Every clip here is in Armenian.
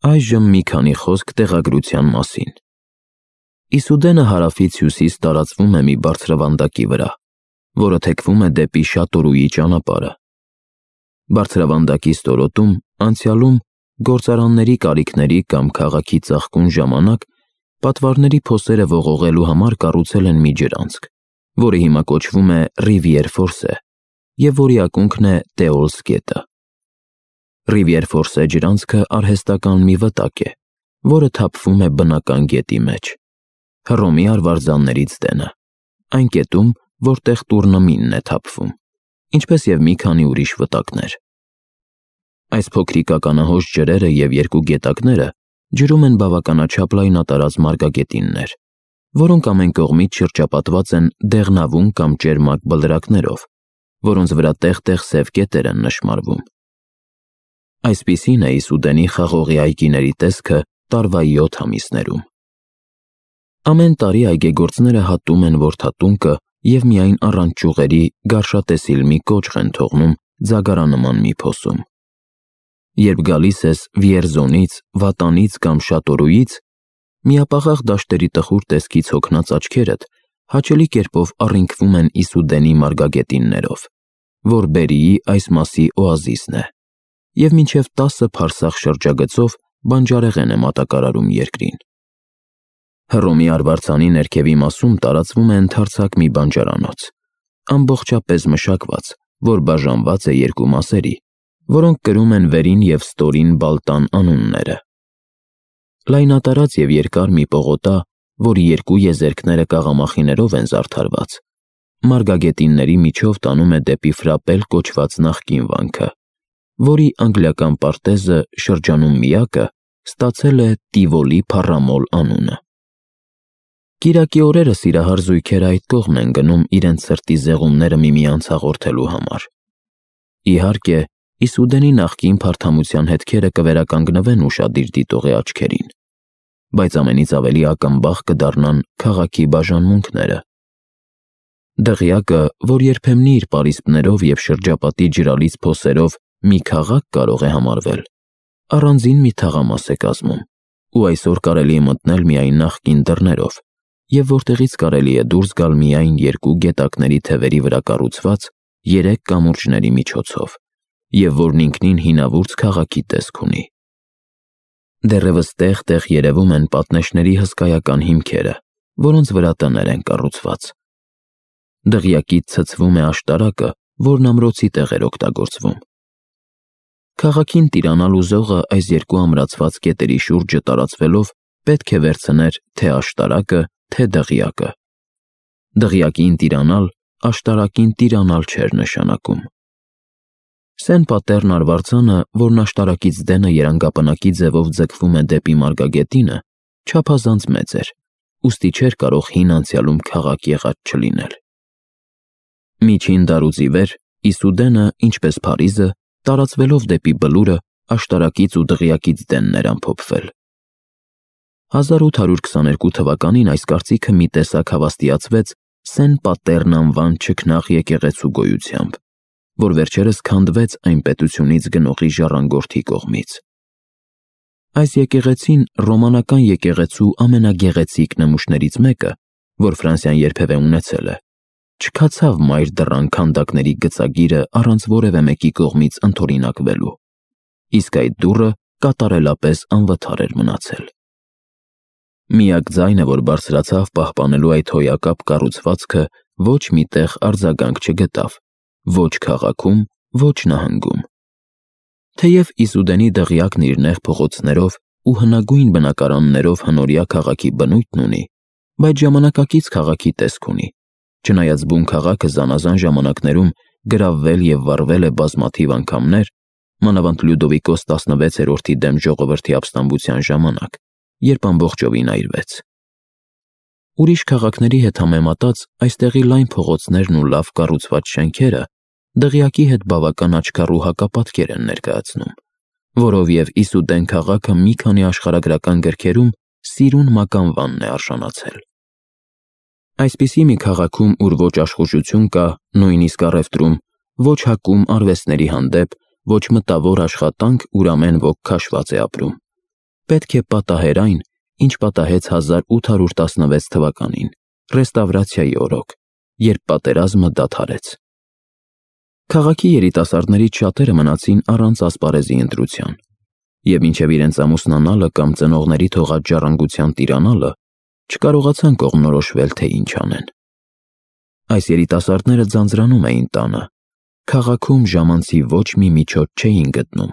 Այժմ մի քանի խոսք տեղագրության մասին։ Իսուդենը հարավից հյուսիս տարածվում է մի բարձրավանդակի վրա, որը թեքվում է դեպի Շատորուի ճանապարհը։ Բարձրավանդակի ստորոտում անցյալում գործարանների կարիքների կամ քաղաքի ծաղկուն ժամանակ պատվարների փոսերը ողողելու համար կառուցել են մի ջրանցք, որը հիմա կոչվում է Rivière Force և որի ակունքն է Տեոլս գետը։ Rivière Force ջրանցքը արհեստական մի վտակ է, որը թափվում է բնական գետի մեջ։ Հռոմի արվարձաններից տենը, այն կետում, որտեղ Տուրնմինն է թափվում, ինչպես և մի քանի ուրիշ վտակներ։ Այս փոքրիկ ականահոս ջրերը և երկու գետակները ջրում են բավականաչափ լայնատարած մարգագետիններ, որոնք ամեն կողմից շրջապատված են դեղնավուն կամ ճերմակ բլրակներով, որոնց վրա տեղ-տեղ սև կետեր են նշմարվում։ Այսպիսին է Իսուդենի խաղողի այգիների տեսքը տարվա 7 ամիսներում։ Ամեն տարի այգեգործները հատում են որդատունկը և միայն առանց ճյուղերի գարշատեսիլ մի կոճղ են թողնում ձագարանման մի փոսում։ Երբ գալիս ես Վիերզոնից, Վատանից կամ Շատորուից, միապաղաղ դաշտերի տխուր տեսքից հոգնած աչքերդ հաճելի կերպով առինքվում են Իսուդենի մարգագետիններով, որ Բերիի այս մասի օազիսն է, և մինչև 10 փարսաղ շրջագծով բանջարեղեն է մատակարարում երկրին։ Հռոմի արվարձանի ներքևի մասում տարածվում է ընդարձակ մի բանջարանոց, ամբողջապես մշակված, որ բաժանված է երկու մասերի, որոնք կրում են վերին և ստորին Բալտան անունները։ Լայնատարած և երկար մի պողոտա, որի երկու եզերքները կաղամախիներով են զարդարված, մարգագետինների միջով տանում է դեպի Ֆրապել կոչված նախկին վանքը, որի անգլիական պարտեզը շրջանում միակը ստացել է Տիվոլի փառամոլ անունը։ Կիրակի օրերը սիրահար զույգերը այդ կողմ են գնում իրենց սրտի զեղումները միմյանց հաղորդելու համար։ Իհարկե, Իսուդենի նախկին փարթամության հետքերը կվերականգնվեն ուշադիր դիտողի աչքերին, բայց ամենից ավելի ակնբախ կդառնան քաղաքի բաժանմունքները։ Դղյակը, որ երբեմն իր պարիսպներով և շրջապատի ջրալից փոսերով մի քաղաք կարող է համարվել, առանձին մի թաղամաս է կազմում, ու այսօր կարելի է մտնել միայն նախկին դռներով, և որտեղից կարելի է դուրս գալ միայն երկու գետակների թևերի վրա կառուցված 3 կամուրջների միջոցով, և որն ինքնին հինավուրց քաղաքի տեսք ունի։ Դեռևս տեղ-տեղ երևում են պատնեշների հսկայական հիմքերը, որոնց վրա տներ են կառուցված։ Դղյակից ցցվում է աշտարակը, որն ամրոցի տեղ էր օգտագործվում։ Քաղաքին տիրանալ ուզողը այս երկու ամրացված կետերի շուրջը տարածվելով պետք է վերցներ թե աշտարակը, թե դղյակը։ Դղյակին տիրանալ աշտարակին տիրանալ չէր նշանակում։ Սեն Պատերն արվարձանը, որն աշտարակից դենը երանգապնակի ձևով ձգվում է դեպի մարգագետինը, չափազանց մեծ էր, ուստի չէր կարող հին անցյալում քաղաք եղած չլինել։ Միջին դարուց ի վեր Իսուդենը, ինչպես Փարիզը, տարածվելով դեպի բլուրը, աշտարակից ու դղյակից դենն էր ամփոփվել։ 1822 թվականին այս կարծիքը մի տեսակ հավաստիացվեց Սեն Պատերն անվան չքնաղ եկեղեցու գոյությամբ, որ վերջերս քանդվեց այն պետությունից գնողի ժառանգորդի կողմից։ Այս եկեղեցին ռոմանական եկեղեցու ամենագեղեցիկ նմուշներից մեկը, որ Ֆրանսիան երբևէ ունեցել է, չքացավ մայր դռան քանդակների գծագիրը առանց որևէ մեկի կողմից ընդօրինակվելու, իսկ այդ դուռը կատարելապես անվթար էր մնացել։ Միակ ձայնը, որ բարձրացավ պահպանելու այդ հոյակապ կառուցվածքը, ոչ միտեղ արձագանք չգտավ, ոչ քաղաքում, ոչ նահանգում։ Թեև Իսուդենի դղյակն իր նեղ փողոցներով ու հնագույն բնակարաններով հնորյա քաղաքի բնույթն ունի, բայց ժամանակակից քաղաքի տեսք ունի, չնայած բուն քաղաքը զանազան ժամանակներում գրավվել և վառվել է բազմաթիվ անգամներ, մանավանդ Լյուդովիկոս 16-րդի դեմ ժողովրդի ապստամբության ժամանակ, երբ ամբողջովին այրվեց։ Ուրիշ քաղաքների հետ համեմատած այստեղի լայն փողոցներն ու լավ կառուցված շենքերը դղյակի հետ բավական աչքառու հակապատկեր են ներկայացնում, որով և Իսուդեն քաղաքը մի քանի աշխարհագրական գրքերում սիրուն մականվանն է արժանացել։ Այսպիսի մի քաղաքում, ուր ոչ աշխուժություն կա, նույնիսկ առևտրում, ոչ հակում արվեստների հանդեպ, ոչ մտավոր աշխատանք, ուր ամեն ոք քաշված է ապրում, պետք է պատահեր այն, ինչ պատահեց 1816 թվականին, ռեստավրացիայի օրոք, երբ պատերազմը դադարեց։ Քաղաքի երիտասարդներից շատերը մնացին առանց ասպարեզի ընտրության, և մինչև իրենց ամուսնանալը կամ ծնողների թողած ժառանգության տիրանալը, չկարողացան կողմնորոշվել, թե ինչ անեն։ Այս երիտասարդները ձանձրանում էին տանը, քաղաքում ժամանցի ոչ մի միջոց չէին գտնում,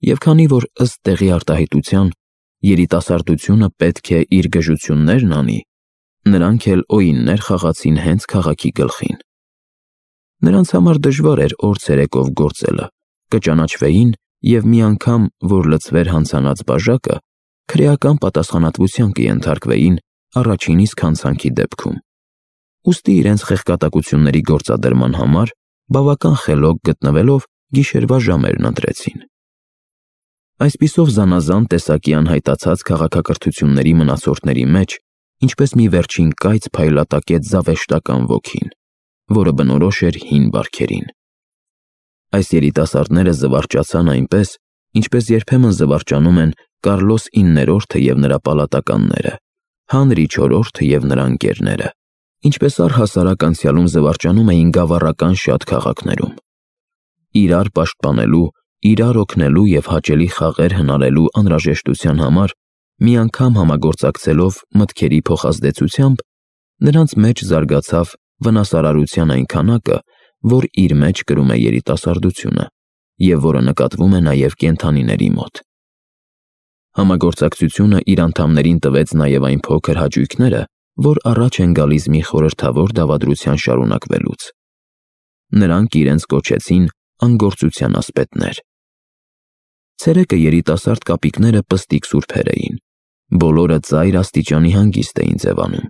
և քանի որ ըստ տեղի արտահայտության երիտասարդությունը պետք է իր գժություններն անի, նրանք էլ օիններ խաղացին հենց քաղաքի գլխին։ Նրանց համար դժվար էր օր ցերեկով գործելը, կճանաչվեին և մի անգամ, որ լցվեր հանցանած բաժակը, քրեական պատասխանատվության կենթարկվեին առաջին իսկ հանցանքի դեպքում։ Ուստի իրենց խեղկատակությունների գործադրման համար բավական խելոք գտնվելով գիշերվա ժամերն ընտրեցին։ Այսպիսով զանազան տեսակի անհայտացած քաղաքակրթությունների մնացորդների մեջ ինչպես մի վերջին կայծ փայլատակեց զավեշտական ոգին, որը բնորոշ էր հին բարքերին։ Այս երիտասարդները զվարճացան այնպես, ինչպես երբեմն զվարճանում են Կարլոս 9-րդը և նրա պալատականները, Հանրի 4-րդը և նրա ընկերները, ինչպես առհասարակ անցյալում զվարճանում էին գավառական շատ քաղաքներում։ Իրար պաշտպանելու, իրար օգնելու և հաճելի խաղեր հնարելու անհրաժեշտության համար մի անգամ համագործակցելով մտքերի փոխազդեցությամբ, նրանց մեջ զարգացավ վնասարարության այն քանակը, որ իր մեջ կրում է երիտասարդությունը և որը նկատվում է նաև կենդանիների մոտ։ Համագործակցությունը իր անդամներին տվեց նաև այն փոքր հաճույքները, որ առաջ են գալիս մի խորհրդավոր դավադրության շարունակվելուց։ Նրանք իրենց կոչեցին անգործության ասպետներ։ Ցերեկը երիտասարդ կապիկները պստիկ սուրբեր էին, բոլորը ծայր աստիճանի հանգիստ էին ձևանում,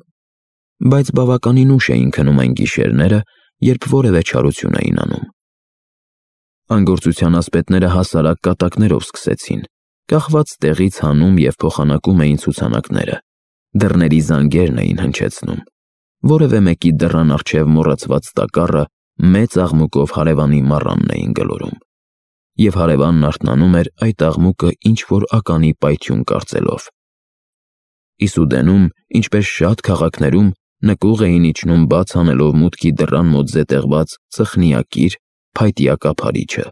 բայց բավականին ուշ էին քնում այն գիշերները, երբ որևէ չարություն էին անում։ Անգործության ասպետները հասարակ կատակներով սկսեցին, կախված տեղից հանում և փոխանակում էին ցուցանակները, դռների զանգերն էին հնչեցնում, որևէ մեկի դռան առջև մոռացված տակառը մեծ աղմուկով հարևանի մառանն էին գլորում, և հարևանն արթնանում էր այդ աղմուկը ինչ-որ ականի պայթյուն կարծելով։ Իսուդենում, ինչպես շատ քաղաքներում, նկուղ էին իջնում բաց անելով մուտքի դռան մոտ զետեղված ծխնիակիր, փայտյա կափարիչը,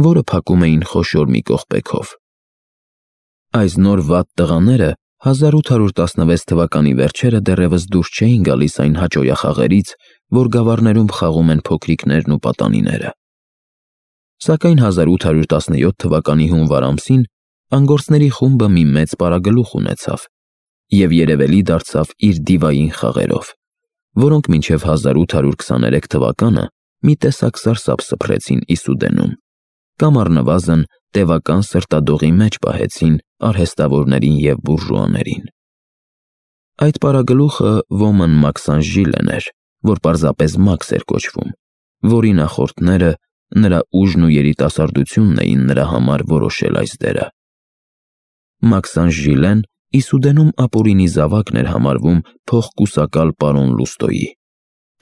որը փակում էին խոշոր մի կողպեքով։ Այս նոր վատ տղաները 1816 թվականի վերջերը դեռևս դուրս չէին գալիս այն հաճոյախաղերից, որ գավառներում խաղում են փոքրիկներն ու պատանիները։ Սակայն 1817 թվականի հունվար ամսին անգործների խումբը մի մեծ պարագլուխ ունեցավ և երևելի դարձավ իր դիվային խաղերով, որոնք մինչև 1823 թվականը մի տեսակ սարսափ սփռեցին Իսուդենում, կամ առնվազն տևական սրտադողի մեջ պահեցին արհեստավորներին և բուրժուաներին։ Այդ պարագլուխը ոմն Մաքսանժիլեն էր, որ պարզապես Մաքս էր կոչվում, որի նախորդները, նրա ուժն ու երիտասարդությունն էին նրա համար որոշել այս դերը։ Մաքսանժիլեն Իսուդենում ապօրինի զավակն էր համարվում փոխկուսակալ պարոն Լուստոյի,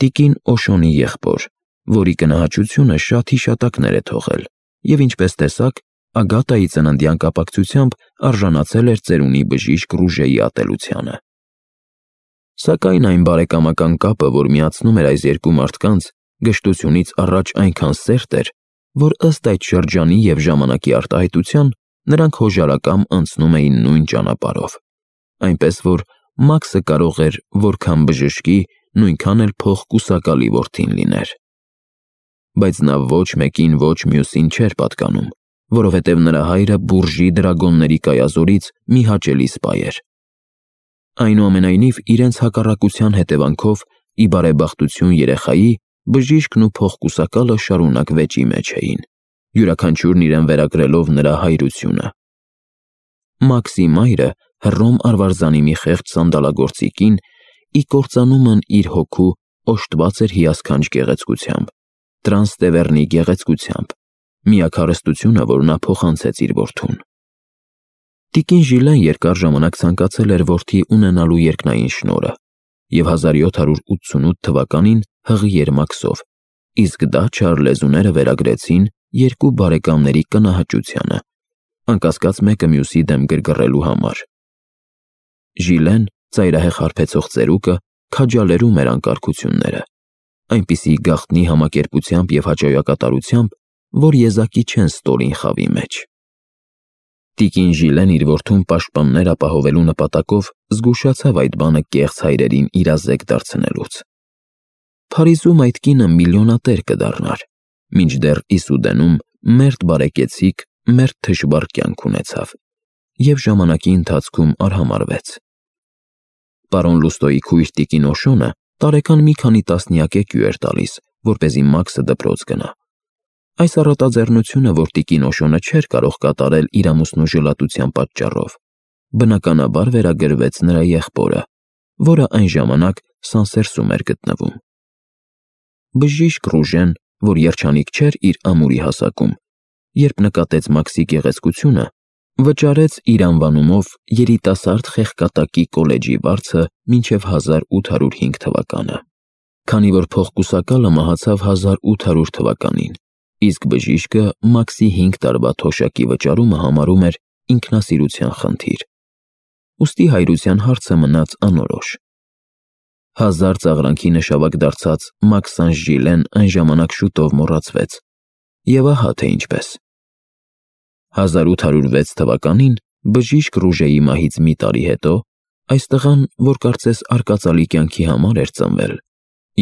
տիկին Օշոնի եղբոր, որի կնահաճությունը շատ հիշատակներ է թողել և ինչպես տեսակ, Ագատայի ծննդյան կապակցությամբ արժանացել էր ծերունի բժիշկ Ռուժեի ատելությանը։ Սակայն այն բարեկամական կապը, որ միացնում էր այս երկու մարդկանց, գժտությունից առաջ այնքան սերտ էր, որ ըստ այդ շրջանի և ժամանակի արտահայտության նրանք հոժարակամ անցնում էին նույն ճանապարհով, այնպես որ Մաքսը կարող էր որքան բժշկի, նույնքան էլ փոխկուսակալի որդին լիներ։ Բայց նա ոչ մեկին, ոչ մյուսին չէր պատկանում, որովհետև նրա հայրը բուրժի դրագոնների կայազորից մի հաճելի սպա էր։ Այնուամենայնիվ իրենց հակառակության հետևանքով, ի բարեբախտություն երեխայի, բժիշկն ու փոխկուսակալը շարունակ վեճի մեջ էին, յուրաքանչյուրն իրեն վերագրելով նրա հայրությունը։ Մաքսի մայրը Հռոմ արվարձանի մի խեղճ սանդալագործի կին, ի կործանումն իր հոգու օժտված էր հիասքանչ գեղեցկությամբ, Տրանստևեռնի գեղեցկությամբ, միակ հարստությունը, որ նա փոխանցեց իր որդուն։ Տիկին Ժիլեն երկար ժամանակ ցանկացել էր որդի ունենալու երկնային շնորհը և 1788 թվականին հղի էր Մաքսով, իսկ դա չար լեզուները վերագրեցին երկու բարեկամների կնահաճությանը, անկասկած մեկը մյուսի դեմ գրգռելու համար։ Ժիլեն, ծայրահեղ հարբեցող ծերուկը, քաջալերում էր անկարգությունները, այնպիսի գաղտնի համակերպությամբ և հաճոյակատարությամբ, որ եզակի չեն ստորին խավի մեջ։ Տիկին Ժիլեն իր որդուն պաշտպաններ ապահովելու նպատակով զգուշացավ այդ բանը կեղծ հայրերին իրազեկ դարձնելուց։ Փարիզում այդ կինը միլիոնատեր կդառնար, մինչդեռ Իսուդենում մերթ բարեկեցիկ, մերթ թշվառ կյանք ունեցավ և ժամանակի ընթացքում արհամարհվեց։ Պարոն Լուստոյի քույր տիկին Օշոնը տարեկան մի քանի տասնյակ էկու էր տալիս, որպեսզի Մաքսը դպրոց գնա։ Այս առատաձեռնությունը, որ տիկին Օշոնը չէր կարող կատարել իր ամուսնու ժլատության պատճառով, բնականաբար վերագրվեց նրա եղբորը, որը այն ժամանակ Սանսերսում էր գտնվում։ Բժիշկ Ռուժեն, որ երջանիկ չէր իր ամուրի հասակում, երբ նկատեց Մաքսի գեղեցկությունը, վճարեց իր անվանումով երիտասարդ խեղկատակի կոլեջի վարձը մինչև 1805 թվականը, քանի որ փոխկուսակալը մահացավ 1800 թվականին, իսկ բժիշկը Մաքսի 5 տարվա թոշակի վճարումը համարում էր ինքնասիրության խնդիր։ Ուստի հայրության հարցը մնաց անորոշ։ 1000 ծաղրանքի նշավակ դարձած Մաքսան Ժիլեն այն ժամանակ շուտով մոռացվեց, և ահա թե ինչպես։ 1806 թվականին բժիշկ Ռուժեի մահից մի տարի հետո այս տղան, որ կարծես արկածալի կյանքի համար էր ծնվել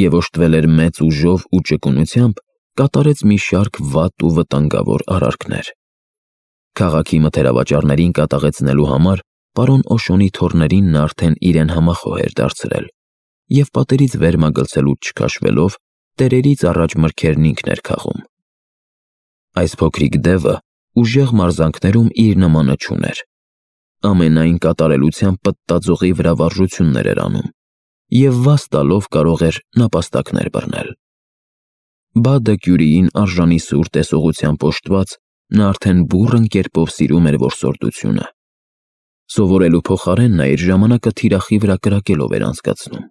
և օժտվել էր մեծ ուժով ու ճկունությամբ, կատարեց մի շարք վատ ու վտանգավոր արարքներ։ Քաղաքի մթերավաճառներին կատաղեցնելու համար պարոն Օշոնի թոռներին նա արդեն իրեն համախոհ էր դարձրել և պատերից վեր մագլցելուց չքաշվելով տերերից առաջ մրգերն ինքն էր քաղում։ Այս փոքրիկ դևը ուժեղ մարզանքներում իր նմանը չուներ։ Ամենայն կատարելությամբ պտտաձողի վրա վարժություններ էր անում և վազ տալով կարող էր նապաստակներ բռնել։ Բադը Կյուրիին արժանի սուր տեսողությամբ օժտված, նա արդեն բուռն կերպով սիրում էր որսորդությունը։ Սովորելու փոխարեն նա իր ժամանակը թիրախի վրա կրակելով էր անցկացնում։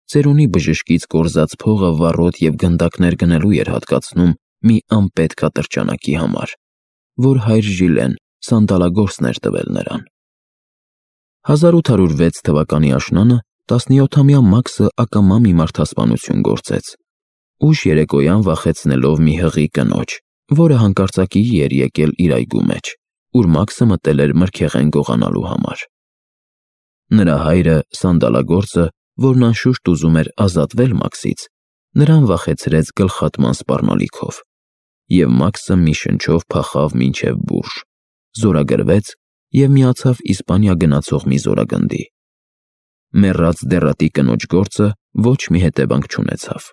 Ծերունի բժշկից կորզած փողը վառոդ և գնդակներ գնելու էր հատկացնում մի անպետք ատրճանակի համար, որ հայր Ժիլեն սանդալագործն էր տվել նրան։ 1806 թվականի աշնանը 17-ամյա Մաքսը ակամա մի մարդասպանություն գործեց, ուշ երեկոյան վախեցնելով մի հղի կնոջ, որը հանկարծակիի էր եկել իր այգու մեջ, ուր Մաքսը մտել էր մրգեղեն գողանալու համար։ Նրա հայրը, սանդալագործը, որն անշուշտ ուզում էր ազատվել Մաքսից, նրան վախեցրեց գլխատման սպառնալիքով, և Մաքսը մի շնչով փախավ մինչև Բուրժ, զորագրվեց և միացավ Իսպանիա գնացող մի զորագնդի։ Մեռած դեռատի կնոջ գործը ոչ մի հետևանք չունեցավ։